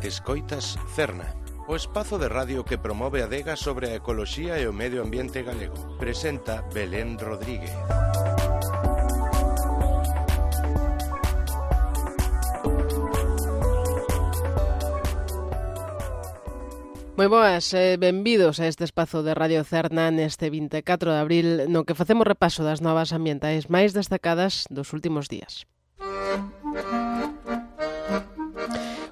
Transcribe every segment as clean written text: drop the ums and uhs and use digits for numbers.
Escoitas Cerna, o espazo de radio que promove a adega sobre a ecoloxía e o medio ambiente galego. Presenta Belén Rodríguez. Moi boas e benvidos a este espazo de Radio Cerna neste 24 de abril no que facemos repaso das novas ambientais máis destacadas dos últimos días.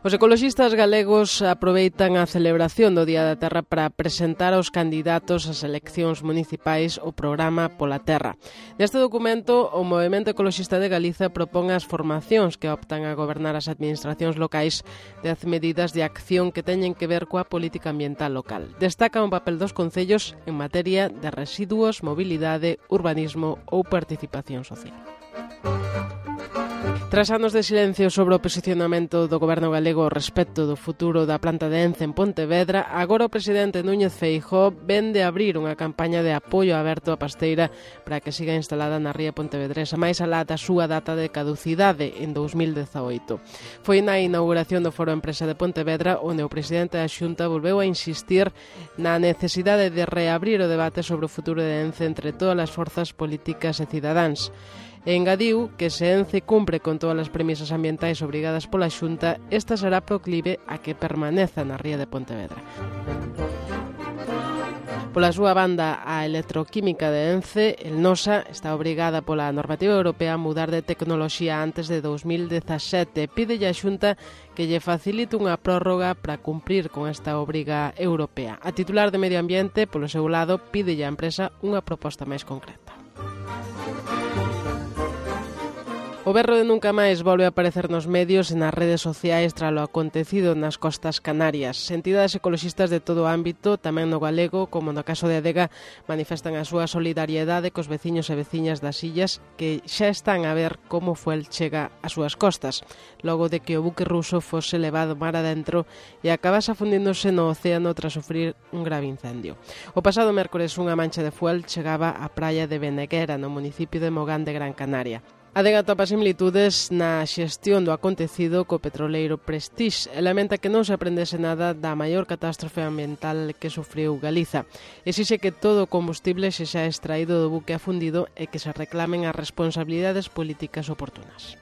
Os ecoloxistas galegos aproveitan a celebración do Día da Terra para presentar aos candidatos ás eleccións municipais o programa Pola Terra. Neste documento, o Movemento Ecoloxista de Galiza propón as formacións que optan a gobernar as administracións locais 10 medidas de acción que teñen que ver coa política ambiental local. Destacan o papel dos concellos en materia de residuos, mobilidade, urbanismo ou participación social. Tras anos de silencio sobre o posicionamento do goberno galego respecto do futuro da planta de Ence en Pontevedra, agora o presidente Núñez Feijóo vén de abrir unha campaña de apoio aberto á pasteira para que siga instalada na ría pontevedresa, máis alá da súa data de caducidade en 2018. Foi na inauguración do Foro Empresa de Pontevedra onde o presidente da Xunta volveu a insistir na necesidade de reabrir o debate sobre o futuro de Ence entre todas as forzas políticas e cidadáns. E engadiu que se Ence cumpre con todas as premisas ambientais obrigadas pola Xunta, esta será proclive a que permaneza na ría de Pontevedra. Pola súa banda, a Electroquímica de Ence, el Nosa, está obrigada pola normativa europea a mudar de tecnoloxía antes de 2017. Pídelle a Xunta que lle facilite unha prórroga para cumprir con esta obriga europea. A titular de Medio Ambiente, polo seu lado, pídelle á empresa unha proposta máis concreta. O berro de nunca máis volve a aparecer nos medios e nas redes sociais tras lo acontecido nas costas canarias. Entidades ecoloxistas de todo o ámbito, tamén no galego, como no caso de Adega, manifestan a súa solidariedade cos veciños e veciñas das illas que xa están a ver como Fuel chega ás súas costas, logo de que o buque ruso fose levado mar adentro e acabase afundíndose no océano tras sufrir un grave incendio. O pasado mércores unha mancha de Fuel chegaba á praia de Beneguera, no municipio de Mogán de Gran Canaria. A Adega atopa similitudes na xestión do acontecido co petroleiro Prestige e lamenta que non se aprendese nada da maior catástrofe ambiental que sufriu Galiza. Exixe que todo o combustible se xa extraído do buque afundido e que se reclamen as responsabilidades políticas oportunas.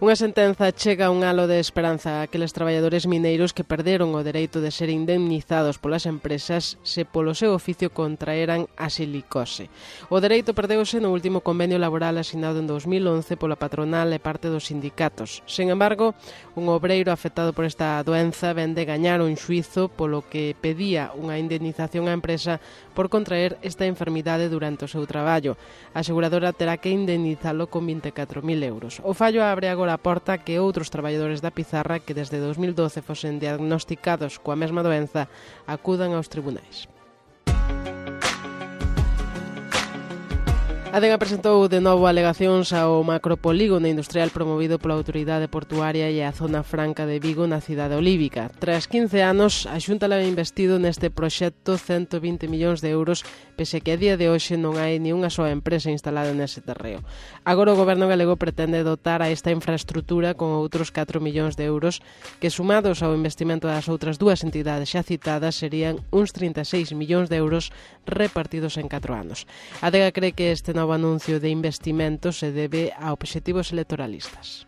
Unha sentenza chega un halo de esperanza a aqueles traballadores mineiros que perderon o dereito de ser indemnizados polas empresas se polo seu oficio contraeran a silicose. O dereito perdeuse no último convenio laboral asinado en 2011 pola patronal e parte dos sindicatos. Sen embargo, un obreiro afectado por esta doenza vén de gañar un xuízo polo que pedía unha indemnización á empresa por contraer esta enfermidade durante o seu traballo. A aseguradora terá que indemnizalo con 24.000 euros. O fallo abre agora a porta que outros traballadores da Pizarra que desde 2012 fosen diagnosticados coa mesma doenza acudan aos tribunais. A Adega presentou de novo alegacións ao macropolígono industrial promovido pola Autoridade Portuaria e a Zona Franca de Vigo na cidade olívica. Tras 15 anos, a Xunta leva investido neste proxecto 120 millóns de euros, pese que a día de hoxe non hai ni unha soa empresa instalada nese terreo. Agora o goberno galego pretende dotar a esta infraestrutura con outros 4 millóns de euros, que sumados ao investimento das outras dúas entidades xa citadas serían uns 36 millóns de euros repartidos en 4 anos. A Adega cree que este novo anuncio de investimento se debe a obxectivos electoralistas.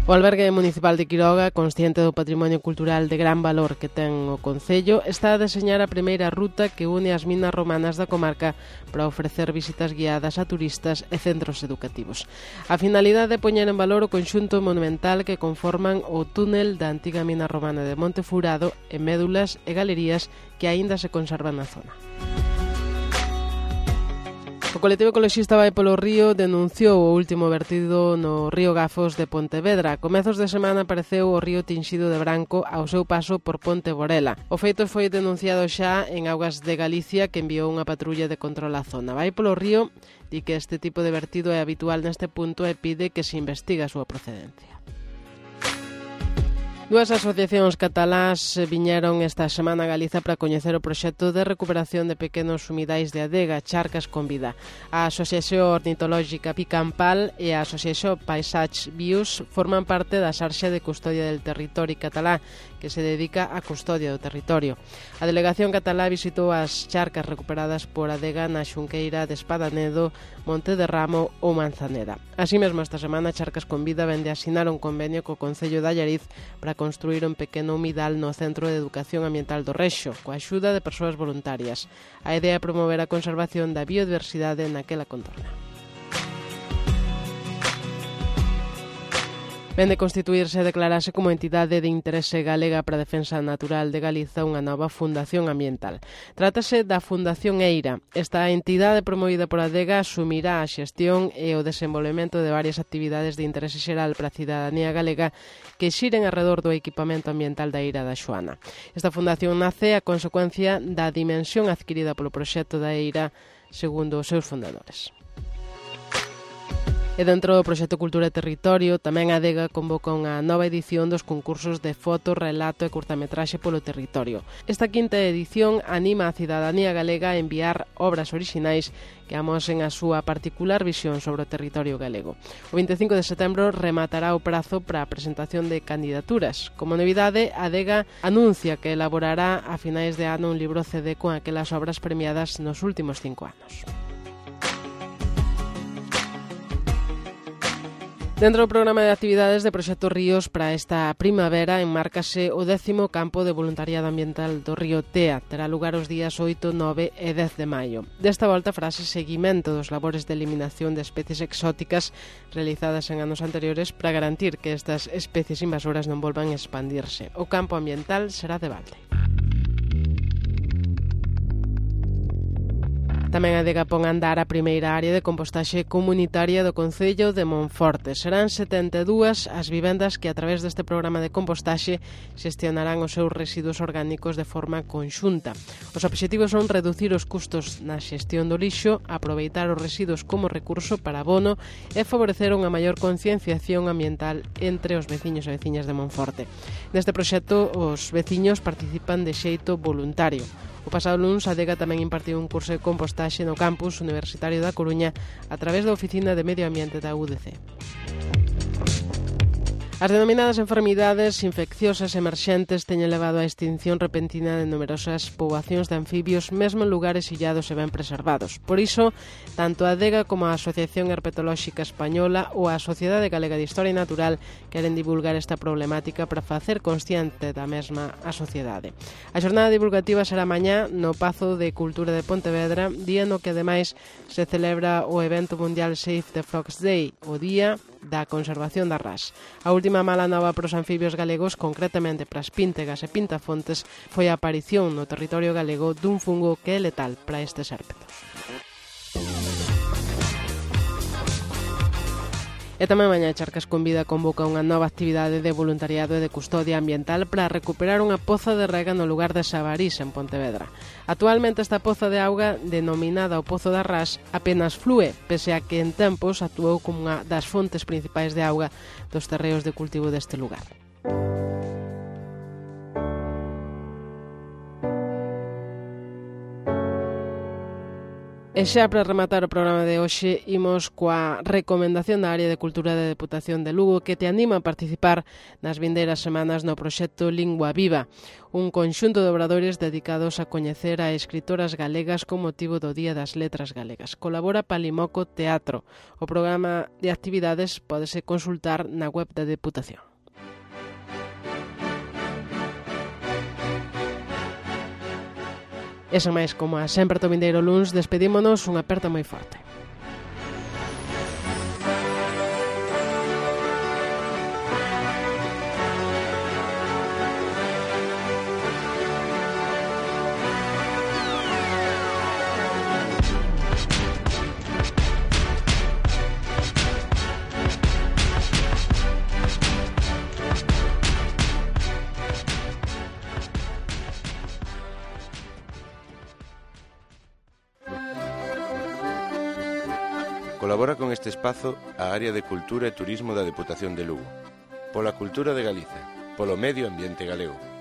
O albergue municipal de Quiroga, consciente do patrimonio cultural de gran valor que ten o concello, está a deseñar a primeira ruta que une as minas romanas da comarca para ofrecer visitas guiadas a turistas e centros educativos. A finalidade é poñer en valor o conxunto monumental que conforman o túnel da antiga mina romana de Monte Furado e médulas e galerías que aínda se conservan na zona. O colectivo ecoloxista Vai polo Río denunciou o último vertido no río Gafos de Pontevedra. A comezos de semana apareceu o río tinxido de branco ao seu paso por Ponte Borela. O feito foi denunciado xa en Augas de Galicia, que enviou unha patrulla de control á zona. Vai polo Río di que este tipo de vertido é habitual neste punto e pide que se investigue a súa procedencia. Dúas asociacións catalás viñeron esta semana a Galiza para coñecer o proxecto de recuperación de pequenos humidais de adega, Charcas con Vida. A Asociación Ornitológica Picampal e a Asociación Paisatge Bius forman parte da xarxa de custodia del territorio catalá, que se dedica á custodia do territorio. A delegación catalá visitou as charcas recuperadas por adega na Xunqueira de Espadanedo, Monte de Ramo ou Manzaneda. Así mesmo, esta semana, Charcas con Vida vende a asinar un convenio co Concello de Allariz para construir un pequeno humidal no Centro de Educación Ambiental do Rexo, coa axuda de persoas voluntarias. A idea é promover a conservación da biodiversidade naquela contorna. Vende constituirse e declararse como entidade de interese galega para a defensa natural de Galiza unha nova fundación ambiental. Trátase da Fundación Eira. Esta entidade promovida por Adega asumirá a xestión e o desenvolvemento de varias actividades de interese xeral para a cidadanía galega que xiren arredor do equipamento ambiental da Eira da Xoana. Esta fundación nace a consecuencia da dimensión adquirida polo proxecto da Eira, segundo os seus fundadores. E dentro do proxecto Cultura e Territorio, tamén a Adega convoca unha nova edición dos concursos de foto, relato e curtametraxe polo territorio. Esta quinta edición anima a cidadanía galega a enviar obras orixinais que amosen a súa particular visión sobre o territorio galego. O 25 de setembro rematará o prazo para a presentación de candidaturas. Como novidade, a Adega anuncia que elaborará a finais de ano un libro CD con aquelas obras premiadas nos últimos 5 anos. Dentro do programa de actividades de Proxecto Ríos para esta primavera enmárcase o 10º campo de voluntariado ambiental do río Tea. Terá lugar os días 8, 9 e 10 de maio. Desta volta farase seguimento dos labores de eliminación de especies exóticas realizadas en anos anteriores para garantir que estas especies invasoras non volvan a expandirse. O campo ambiental será de balde. Tamén a Adega pon a andar a primeira área de compostaxe comunitaria do Concello de Monforte. Serán 72 as vivendas que a través deste programa de compostaxe xestionarán os seus residuos orgánicos de forma conxunta. Os obxectivos son reducir os custos na xestión do lixo, aproveitar os residuos como recurso para abono e favorecer unha maior concienciación ambiental entre os veciños e veciñas de Monforte. Neste proxecto, os veciños participan de xeito voluntario. O pasado luns, a Adega tamén impartiu un curso de compostaxe no campus universitario da Coruña a través da Oficina de Medio Ambiente da UDC. As denominadas enfermidades infecciosas emerxentes teñen levado á extinción repentina de numerosas poboacións de anfibios, mesmo en lugares illados e ben preservados. Por iso, tanto a Adega como a Asociación Herpetolóxica Española ou a Sociedade Galega de Historia Natural queren divulgar esta problemática para facer consciente da mesma a sociedade. A xornada divulgativa será mañá no Pazo de Cultura de Pontevedra, día no que ademais se celebra o evento mundial Save the Frogs Day, o Día da Conservación da Ras. A última mala nova para os anfibios galegos, concretamente para as píntegas e pintafontes, foi a aparición no territorio galego dun fungo que é letal para estes hérpetos. E tamén mañá Charcas con Vida convoca unha nova actividade de voluntariado e de custodia ambiental para recuperar unha poza de rega no lugar de Sabarís, en Pontevedra. Actualmente esta poza de auga, denominada o Pozo da Ras, apenas flúe, pese a que en tempos actuou como unha das fontes principais de auga dos terreos de cultivo deste lugar. E xa para rematar o programa de hoxe, imos coa recomendación da Área de Cultura da Deputación de Lugo que te anima a participar nas vindeiras semanas no proxecto Lingua Viva, un conxunto de obradoires dedicados a coñecer a escritoras galegas con motivo do Día das Letras Galegas. Colabora Palimoco Teatro. O programa de actividades pódese consultar na web da Deputación. E sen máis, como a sempre to vindeiro luns, despedímonos unha aperta moi forte. Colabora con este espazo a Área de Cultura e Turismo da Deputación de Lugo. Pola cultura de Galiza. polo medio ambiente galego.